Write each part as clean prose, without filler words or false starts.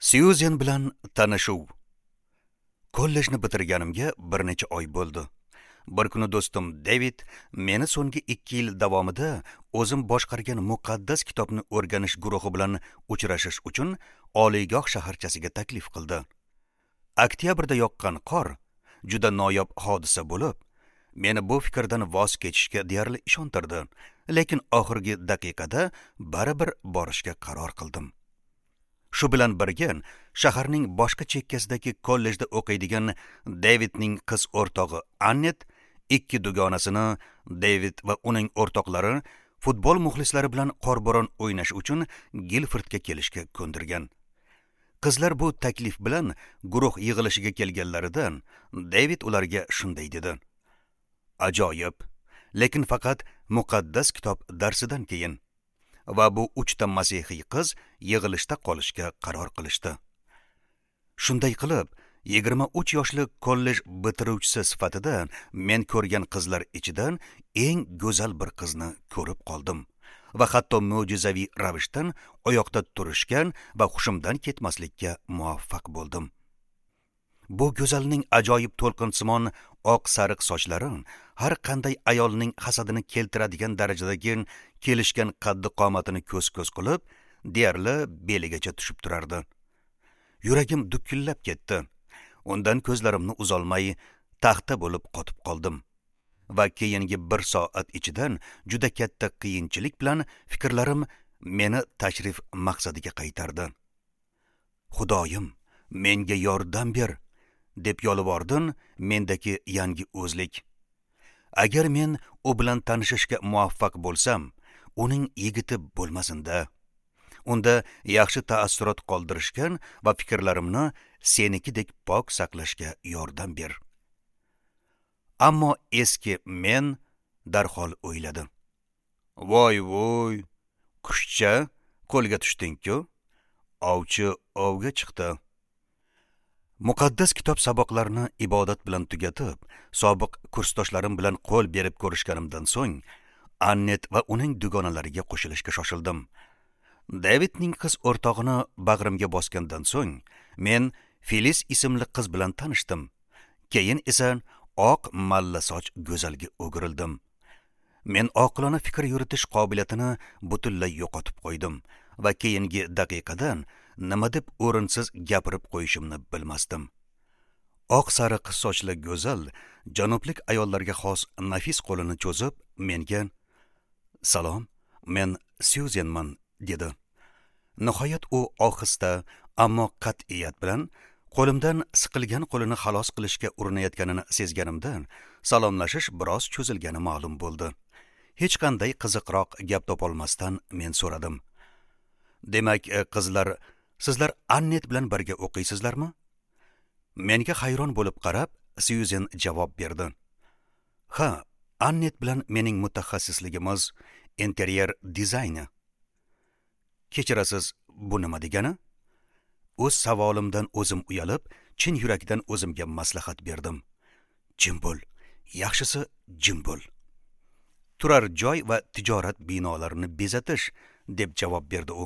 Syuzen bilan tanishuv. Kollejni bitirganimga bir necha oy bo'ldi. Bir kuni do'stim David meni so'nggi 2 yil davomida o'zim boshqargan muqaddas kitobni o'rganish guruhi bilan uchrashish uchun oliygoh shaharchasiga taklif qildi. Oktyabrda yoqqan qor juda noyob hodisa bo'lib, meni bu fikrdan voz kechishga deyarli ishontirdi, lekin oxirgi daqiqada baribir borishga qaror qildim. Shu bilan birga shaharning boshqa chekkasidagi kollejda o'qiydigan Davidning qiz o'rtog'i Annet ikki dugonasini David va uning o'rtoqlari futbol muxlislari bilan qorbo'ron o'ynash uchun Gilfordga kelishga ko'ndirgan. Qizlar bu taklif bilan guruh yig'ilishiga kelganlarida David ularga shunday dedi: "Ajoyib, lekin faqat muqaddas kitob darsidan keyin." Va bu 3 ta masihiy qiz yig'ilishda qolishga qaror qilishdi. Shunday qilib, 23 yoshli kollej bitiruvchisi sifatida men ko'rgan qizlar ichidan eng go'zal bir qizni ko'rib qoldim va hatto mo'jizaviy ravishdan oyoqda turishgan va hushimdan ketmaslikka muvaffaq bo'ldim. Bu go'zalning ajoyib to'lqinsimon oq sariq sochlari har qanday ayolning hasadini keltiradigan darajadagi kelishgan qaddi qomatini ko'z-ko'z qilib, deyarli beligacha tushib turardi. Yuragim dukillab ketdi. Undan ko'zlarimni uzolmay taxta bo'lib qotib qoldim. Va keyingi 1 soat ichidan juda katta qiyinchilik bilan fikrlarim meni tashrif maqsadiga qaytardi. Xudoyim, menga yordam ber, deb yolvordim mendagi yangi o'zlik. Agar men u bilan tanishishga muvaffaq bo'lsam, uning yigiti bo'lmasin-da. Unda yaxshi taassurot qoldirishga va fikrlarimni senikidek pok saqlashga yordam ber. Ammo eski men darhol o'yladi. Voy voy, qushcha, qo'lga tushding-ku. Ovchi ovga chiqdi. Muqaddas kitob saboqlarini ibodat bilan tugatib, sobiq kursdoshlarim bilan qo'l berib ko'rishganimdan so'ng, Annet va uning dugonalariga qo'shilishga shoshildim. Davidning qiz o'rtog'ini bag'rimga bosgandan so'ng, men Filis ismli qiz bilan tanishdim. Keyin esa oq malla soch go'zalga o'girildim. Men oqilona fikr yuritish qobiliyatini butunlay yo'qotib qo'ydim va keyingi daqiqadan nima deb o'rinsiz gapirib qo'yishimni bilmasdim. Oq sariq sochli go'zal janublik ayollarga xos nafis qo'lini cho'zib menga: "Salom, men Syuzenman", dedi. Nihoyat u ohista, ammo qat'iyat bilan qo'limdan siqilgan qo'lini xalos qilishga urinayotganini sezganimdan salomlashish biroz cho'zilgani ma'lum bo'ldi. Hech qanday qiziqroq gap topolmasdan men so'radim: "Demak, qizlar, sizlar Annet bilan birga o'qiysizlarmi?" Menga hayron bo'lib qarab, Syuzen javob berdi: "Ha, Annet bilan mening mutaxassisligimiz interyer dizayni." Kechirasiz, bu nima degani? O'z savolimdan o'zim uyalib, chin yurakdan o'zimga maslahat berdim. Jim bo'l, yaxshisi jim bo'l. Turar joy va tijorat binolarini bezatish, deb javob berdi u.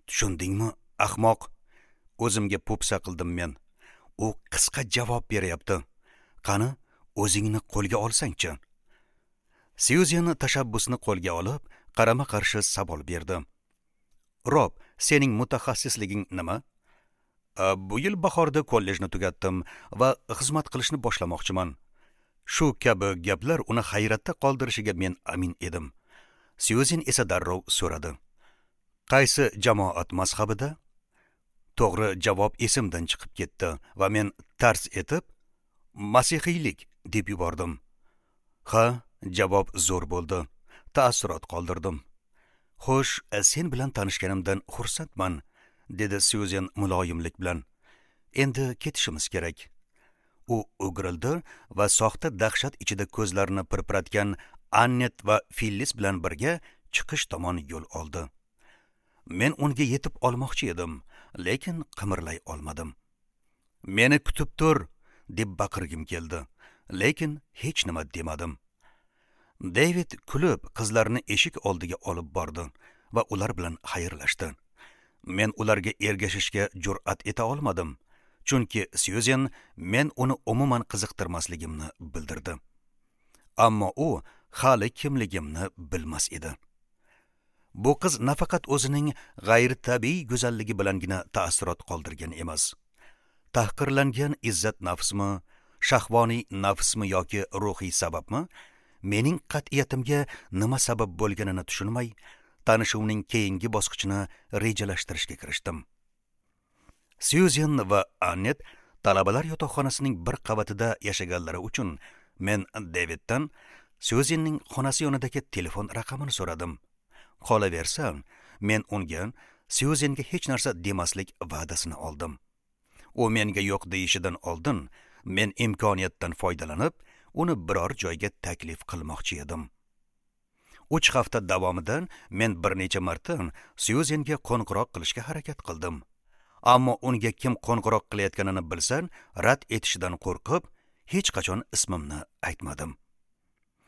Tushundingmi, ahmoq? O'zimga po'pisa qildim men. U qisqa javob beryapti. Qani, o'zingni qo'lga olsangchi. Syuzen tashabbusni qo'lga olib, qarama-qarshi savol berdi. Rob, sening mutaxassisliging nima? Bu yil bahorda kollejni tugatdim va xizmat qilishni boshlamoqchiman. Shu kabi gaplar uni hayratda qoldirishiga men amin edim. Syuzen esa darrov so'radi: "Qaysi jamoat mazhabida?" To'g'ri javob esimdan chiqib ketdi va men tars etib "Masihiylik" deb yubordim. Ha, javob zo'r bo'ldi. Taassurot qoldirdim. "Xo'sh, sen bilan tanishganimdan xursandman", dedi Syuzen muloyimlik bilan. "Endi ketishimiz kerak." U o'girildi va soxta dahshat ichida ko'zlarini pirpiratgan Annet va Fillis bilan birga chiqish tomon yo'l oldi. Men unga yetib olmoqchi edim, lekin qimirlay olmadim. "Meni kutib tur", deb baqirgim keldi, lekin hech nima demadim. David kulib qizlarni eshik oldiga olib bordi va ular bilan xayrlashdi. Men ularga ergashishga jur'at eta olmadim, chunki Syuzen men uni umuman qiziqtirmasligimni bildirdi. Ammo u hali kimligimni bilmas edi. Bu qiz nafaqat o'zining g'ayritabiiy go'zalligi bilangina taassurot qoldirgan emas. Tahqirlangan izzat nafsmi, shahvoniy nafsmi yoki ruhiy sababmi, mening qat'iyatimga nima sabab bo'lganini tushunmay, tanishuvning keyingi bosqichini rejalashtirishga kirishdim. Syuzen va Annet talabalar yotoqxonasining bir qavatida yashaganlari uchun men Daviddan Syuzenning xonasi yonidagi telefon raqamini so'radim. Qolaversa, men unga Syuzenga hech narsa demaslik va'dasini oldim. U menga yo'q deyishidan oldin men imkoniyatdan foydalanib, uni biror joyga taklif qilmoqchi edim. 3 hafta davomida men bir necha marta Syuzenga qo'ng'iroq qilishga harakat qildim. Ammo unga kim qo'ng'iroq qilayotganini bilsa, rad etishidan qo'rqib, hech qachon ismimni aytmadim.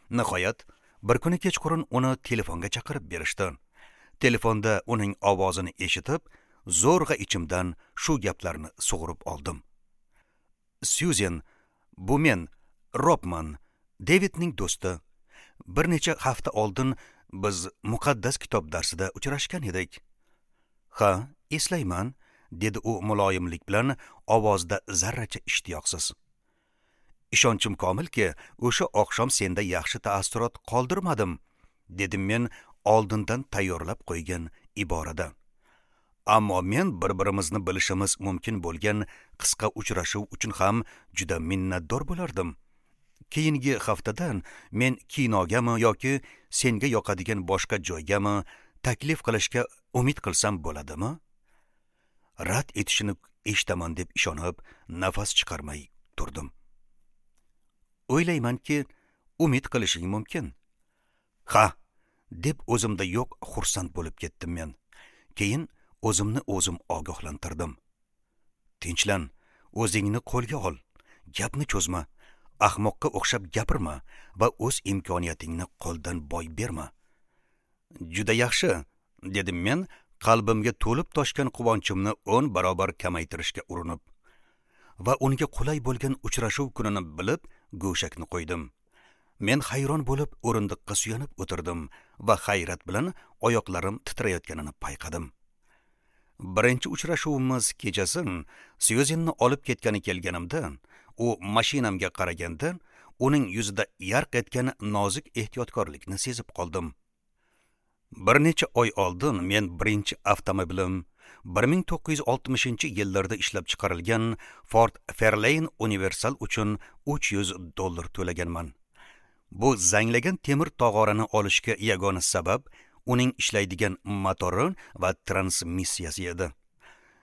Nihoyat, bir kuni kechqurun uni telefonga chaqirib berishdi. Telefonda uning ovozini eshitib, zo'rg'a ichimdan shu gaplarni sug'urib oldim. Syuzen, bu men, Robman, Davidning do'sti. Bir necha hafta oldin biz muqaddas kitob darsida uchrashgan edik. Ha, eslayman, dedi u muloyimlik bilan, ovozida zarracha ishtiyoqsiz. Ishonchim komilki, o'sha oqshom senda yaxshi taassurot qoldirmadim, dedim men oldindan tayyorlab qo'ygan iborada. Ammo men bir-birimizni bilishimiz mumkin bo'lgan qisqa uchrashuv uchun ham juda minnatdor bo'lardim. Keyingi haftadan men kinogami yoki senga yoqadigan boshqa joygami taklif qilishga umid qilsam bo'ladimi? Rad etishini eshitaman deb ishonib, nafas chiqarmay turdim. O'ylaymanki, umid qilishing mumkin. Ha, deb o'zimda yo'q xursand bo'lib ketdim men. Keyin o'zimni o'zim ogohlantirdim. Tinchlan, o'zingni qo'lga ol, gapni cho'zma, ahmoqqa o'xshab gapirma va o'z imkoniyatingni qo'ldan boy berma. Juda yaxshi, dedim men, qalbimga to'lib toshgan quvonchimni 10 barobar kamaytirishga urinib va unga qulay bo'lgan uchrashuv kunini bilib, go'shakni qo'ydim. Men hayron bo'lib o'rindiqqa suyanib o'tirdim va hayrat bilan oyoqlarim titrayotganini payqadim. Birinchi uchrashuvimiz kechasi Syuzenni olib ketgani kelganimda, u mashinamga qaraganda, uning yuzida yarq etgan nozik ehtiyotkorlikni sezib qoldim. Bir necha oy oldin men birinchi avtomobilim 1960-yillarda ishlab chiqarilgan Ford Fairlane Universal uchun $300 to'laganman. Bu zanglagan temir tog'orani olishga yagona sabab uning ishlaydigan motori va transmissiyasi edi.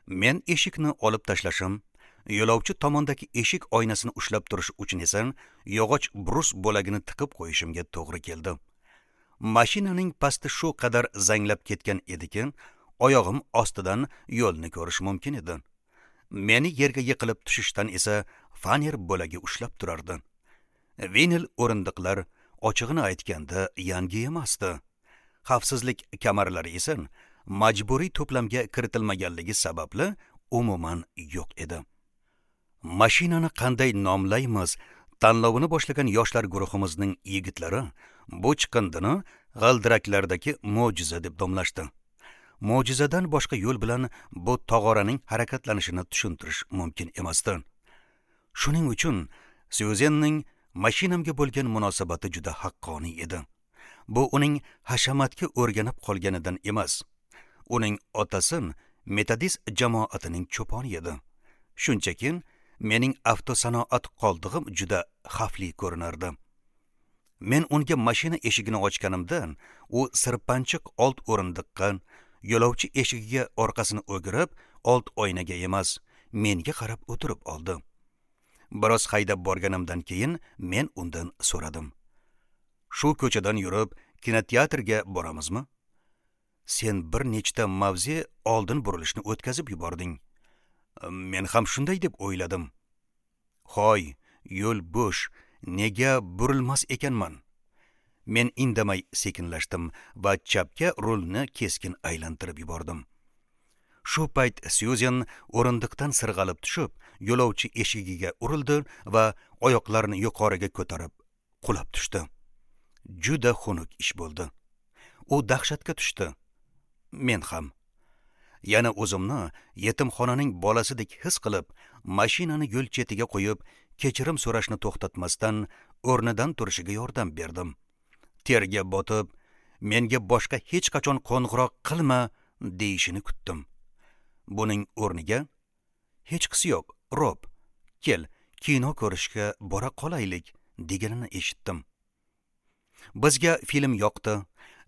Men eshikni olib tashlashim, yo'lovchi tomondagi eshik oynasini ushlab turish uchun esa yog'och brus bo'lagini tiqib qo'yishimga to'g'ri keldi. Mashinaning pasti shu qadar zanglab ketgan ediki, oyog'im ostidan yo'lni ko'rish mumkin edi. Meni yerga yiqilib tushishdan esa faner bo'lagi ushlab turardi. Vinil o'rindiqlar ochig'ini aytganda yangi emasdi. Xavfsizlik kamarlari esa majburiy to'plamga kiritilmaganligi sababli umuman yo'q edi. Mashinani qanday nomlaymiz tanlovini boshlagan yoshlar guruhimizning yigitlari bu chiqindini g'ildiraklardagi mo'jiza deb nomlashdi. Mo'jizadan boshqa yo'l bilan bu tog'oraning harakatlanishini tushuntirish mumkin emasdi. Shuning uchun Syuzenning mashinamga bo'lgan munosabati juda haqqoniy edi. Bu uning hashamatga o'rganib qolganidan emas. Uning otasi metodist jamoatining cho'poni edi. Shunchaki mening avtosanoat qoldig'im juda xavfli ko'rinardi. Men unga mashina eshigini ochganimda, u sirpanchiq old o'rindiqqa, yo'lovchi eshigiga orqasini o'girib, old oynaga emas, menga qarab o'tirib oldi. Biroz haydab borganimdan keyin men undan so'radim. Shu ko'chadan yurib kinoteatrga boramizmi? Sen bir nechta mavze oldin burilishni o'tkazib yubording. Men ham shunday deb o'yladim. Hoy, yo'l bo'sh, nega burilmas ekanman? Men indamay sekinlashdim va chapga rulni keskin aylantirib yubordim. Shu payt Syuzen o'rindiqdan sirg'alib tushib, yo'lovchi eshigiga urildi va oyoqlarini yuqoriga ko'tarib qulab tushdi. Juda xunuk ish bo'ldi. U dahshatga tushdi. Men ham. Yana o'zimni yetimxonaning bolasidek his qilib, mashinani yo'l chetiga qo'yib, kechirim so'rashni to'xtatmasdan o'rnidan turishiga yordam berdim. Terga botib, menga boshqa hech qachon qo'ng'iroq qilma deyishini kutdim. Buning o'rniga, hechqisi yo'q, Rob, kel, kino ko'rishga bora qolaylik deganini eshitdim. Bizga film yoqdi,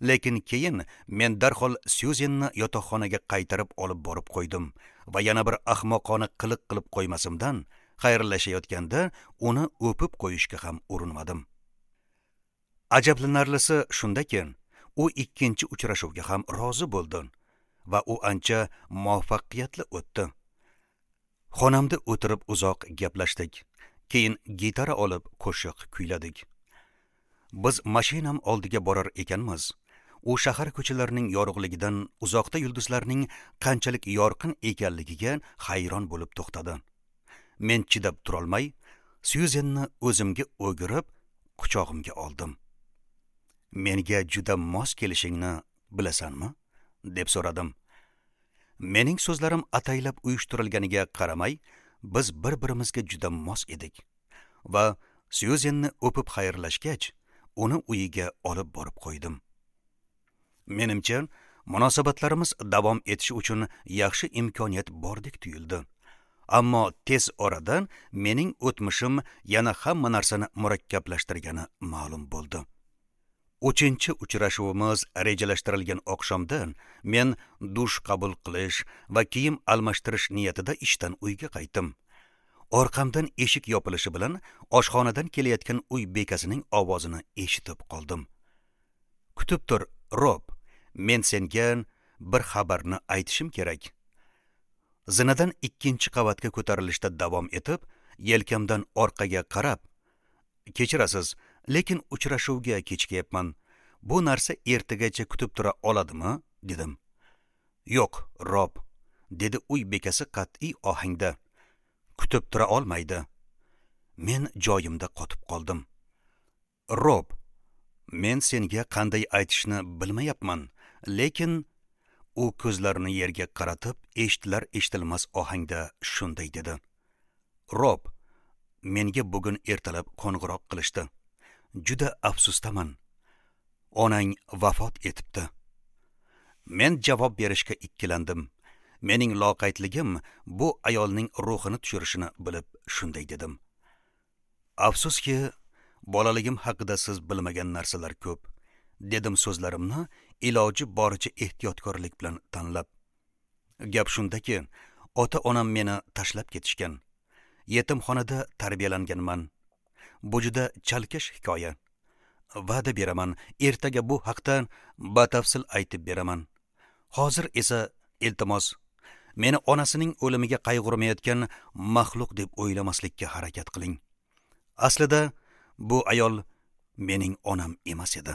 lekin keyin men darhol Syuzenni yotoqxonaga qaytarib olib borib qo'ydim va yana bir ahmoqona qiliq qilib qo'ymasimdan xayrlashayotganda uni o'pib qo'yishga ham urinmadim. Ajablanarlisi shundaki, u ikkinchi uchrashuvga ham rozi bo'ldi va u ancha muvaffaqiyatli o'tdi. Xonamda o'tirib uzoq gaplashdik. Keyin gitara olib qo'shiq kuyladik. Biz mashinam oldiga borar ekanmiz, u shahar ko'chalarining yorug'ligidan uzoqda yulduzlarning qanchalik yorqin ekanligiga hayron bo'lib to'xtadi. Men chidab turolmay, Syuzenni o'zimga o'girib, quchog'imga oldim. Menga juda mos kelishingni bilasanmi? deb so'radim. Mening so'zlarim ataylab uyushtirilganiga qaramay, biz bir-birimizga juda mos edik va Syuzenni o'pib xayrlashgach, uni uyiga olib borib qo'ydim. Menimcha, munosabatlarimiz davom etishi uchun yaxshi imkoniyat bordek tuyuldi. Ammo tez orada mening o'tmishim yana hamma narsani murakkablashtirgani ma'lum bo'ldi. 3-chi uchrashuvimiz rejalashtirilgan oqshomda men dush qabul qilish va kiyim almashtirish niyatida ishdan uyga qaytdim. Orqamdan eshik yopilishi bilan oshxonadan kelayotgan uy bekasining ovozini eshitib qoldim. Kutib tur, Rob, men senga bir xabarni aytishim kerak. Zinadan 2-chi qavatga ko'tarilishda davom etib, yelkamdan orqaga qarab, kechirasiz, lekin uchrashuvga kechikyapman. Bu narsa ertagacha kutib tura oladimi? Dedim. Yo'q, Rob, dedi uy bekasi qat'iy ohangda. Kutib tura olmaydi. Men joyimda qotib qoldim. Rob, men senga qanday aytishni bilmayapman, lekin u ko'zlarini yerga qaratib, eshitilar eshitilmas ohangda shunday dedi. Rob, menga bugun ertalab qo'ng'iroq qilishdi. Juda afsusdaman. Onang vafot etibdi. Men javob berishga ikkilandim. Mening loqaydligim bu ayolning ruhini tushirishini bilib shunday dedim. Afsuski, bolaligim haqida siz bilmagan narsalar ko'p, dedim so'zlarimni iloji boricha ehtiyotkorlik bilan tanlab. Gap shundaki, ota-onam meni tashlab ketishgan. Yetimxonada tarbiyalanganman. Bu juda chalkash hikoya. Va'da beraman, ertaga bu haqda batafsil aytib beraman. Hozir esa iltimos, meni onasining o'limiga qayg'urmayotgan maxluq deb o'ylamaslikka harakat qiling. Aslida bu ayol mening onam emas edi.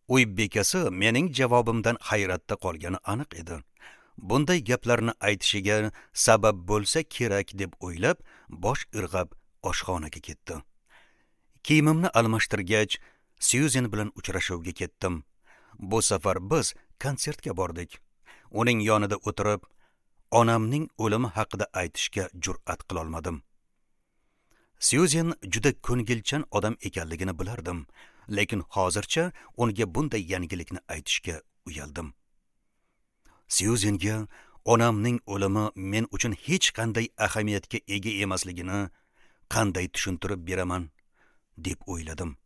Uy bekasi mening javobimdan hayratda qolgani aniq edi. Bunday gaplarni aytishiga sabab bo'lsa kerak deb o'ylab, bosh irg'ab oshxonaga ketdi. Kiyimimni almashtirgach, Syuzen bilan uchrashuvga ketdim. Bu safar biz konsertga bordik. Uning yonida o'tirib, onamning o'limi haqida aytishga jur'at qila olmadim. Syuzen juda ko'ngilchan odam ekanligini bilardim, lekin hozircha unga bunday yangilikni aytishga uyaldim. Syuzenga onamning o'limi men uchun hech qanday ahamiyatga ega emasligini qanday tushuntirib beraman deb o'yladim.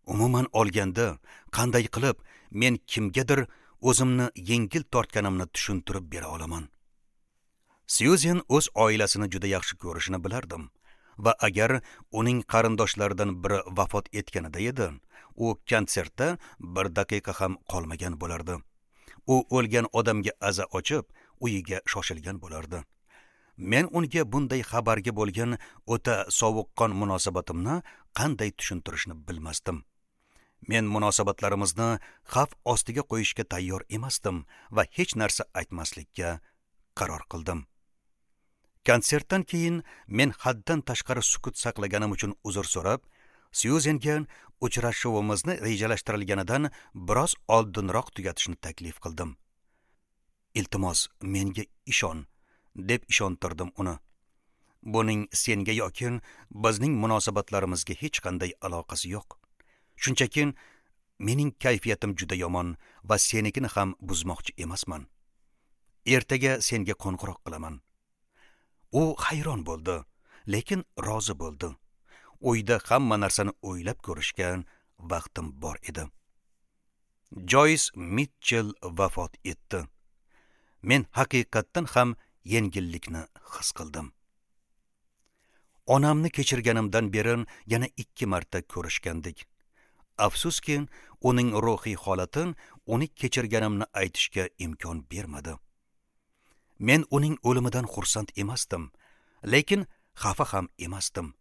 Umuman olganda, qanday qilib men kimgadir o'zimni yengil tortganimni tushuntirib bera olaman? Syuzen o'z oilasini juda yaxshi ko'rishini bilardim va agar uning qarindoshlaridan biri vafot etganida edi, u konsertda bir daqiqa ham qolmagan bo'lardi. U o'lgan odamga aza ochib, uyiga shoshilgan bo'lardi. Men unga bunday xabarga bo'lgan o'ta sovuqqon munosabatimni qanday tushuntirishni bilmasdim. Men munosabatlarimizni xavf ostiga qo'yishga tayyor emasdim va hech narsa aytmaslikka qaror qildim. Konsertdan keyin men haddan tashqari sukut saqlaganim uchun uzr so'rab, Syuzenga uchrashuvimizni rejalashtirilganidan biroz oldinroq tugatishni taklif qildim. Iltimos, menga ishon, deb ishontirdim uni. Buning senga yoki bizning munosabatlarimizga hech qanday aloqasi yo'q. Shunchaki mening kayfiyatim juda yomon va senikini ham buzmoqchi emasman. Ertaga senga qo'ng'iroq qilaman. U hayron bo'ldi, lekin rozi bo'ldi. Uyda hamma narsani o'ylab ko'rishga vaqtim bor edi. Joys Mitchell vafot etdi. Men haqiqatdan ham yengillikni his qildim. Onamni kechirganimdan beri yana 2 marta ko'rishgandik. Afsuski, uning ruhiy holati uni kechirganimni aytishga imkon bermadi. Men uning o'limidan xursand emasdim, lekin xafa ham emasdim.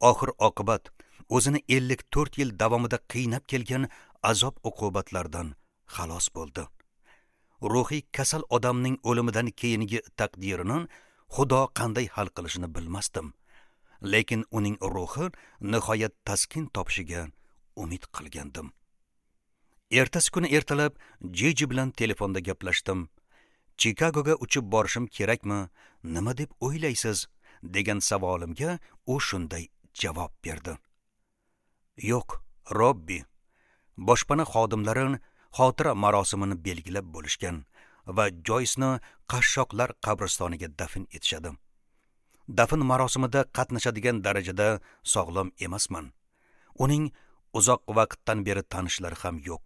Oxir oqibat o'zini 54 yil davomida qiynab kelgan azob uqubatlardan xalos bo'ldi. Ruhiy kasal odamning o'limidan keyingi taqdirini Xudo qanday hal qilishini bilmasdim, lekin uning ruhi nihoyat taskin topishiga umid qilgandim. Ertasi kuni ertalab Jiji bilan telefonda gaplashdim. Chikagoga uchib borishim kerakmi? Nima deb o'ylaysiz? Degan savolimga u shunday javob berdi. Yo'q, Robbi. Boshpana xodimlari xotira marosimini belgilab bo'lishgan va Joysni qashshoqlar qabristoniga dafn etishadi. Dafn marosimida qatnashadigan darajada sog'lom emasman. Uning uzoq vaqtdan beri tanishlari ham yo'q.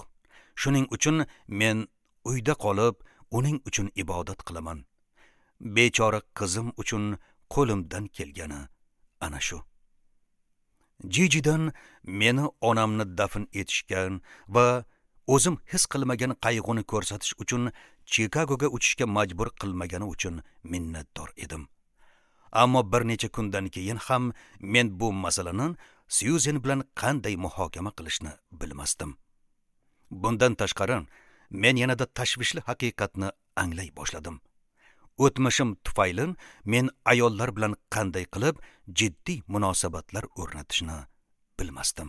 Shuning uchun men uyda qolib, uning uchun ibodat qilaman. Bechora qizim uchun qo'limdan kelgani ana shu. Jijidan meni onamni dafn etishgan va o'zim his qilmagan qayg'uni ko'rsatish uchun Chikagoga uchishga majbur qilmagani uchun minnatdor edim. Ammo bir necha kundan keyin ham men bu masalani Syuzen bilan qanday muhokama qilishni bilmasdim. Bundan tashqari, men yanada tashvishli haqiqatni anglay boshladim. O'tmishim tufayli men ayollar bilan qanday qilib jiddiy munosabatlar o'rnatishni bilmasdim.